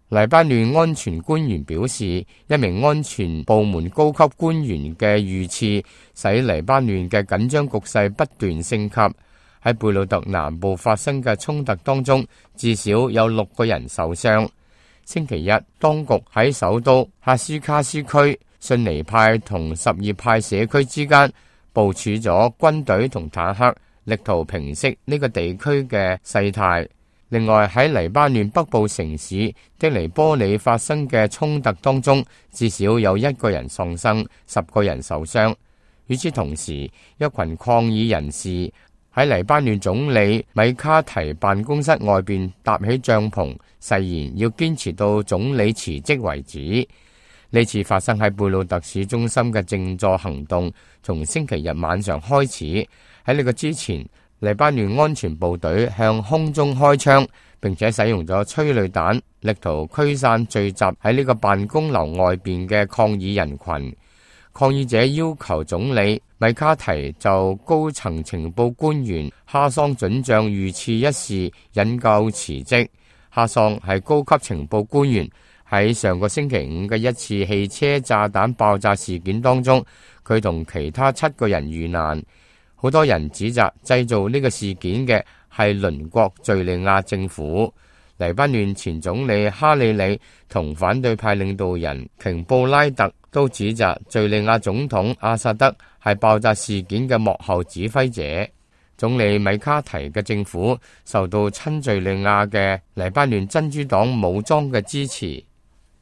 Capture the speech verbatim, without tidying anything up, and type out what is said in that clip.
黎巴嫩安全官員表示，一名安全部門高級官員嘅遇刺，使黎巴嫩嘅緊張局勢不斷升級。喺貝魯特南部發生嘅衝突當中，至少有六個人受傷。星期一，當局喺首都哈斯卡斯區遜尼派同什葉派社區之間部署咗軍隊同坦克，力圖平息呢個地區嘅勢態。另外，喺黎巴嫩北部城市的尼波里發生嘅衝突當中，至少有一個人喪生，十個人受傷。與此同時，一群抗議人士喺黎巴嫩總理米卡提辦公室外邊搭起帳篷，誓言要堅持到總理辭職為止。呢次發生喺貝魯特市中心嘅靜坐行動，從星期日晚上開始。喺呢個之前，黎巴嫩安全部隊向空中開槍，並且使用咗催淚彈，力圖驅散聚集喺呢個辦公樓外邊嘅抗議人群。抗議者要求總理米卡提就高層情報官員哈桑准將遇刺一事引咎辭職。哈桑係高級情報官員，喺上個星期五嘅一次汽車炸彈爆炸事件當中，佢同其他七個人遇難。好多人指責製造呢個事件嘅係鄰國敘利亞政府。黎巴嫩前總理哈里里同反對派領導人瓊布拉特都指責敘利亞總統阿薩德係爆炸事件嘅幕後指揮者。總理米卡提嘅政府受到親敘利亞嘅黎巴嫩真主黨武裝嘅支持。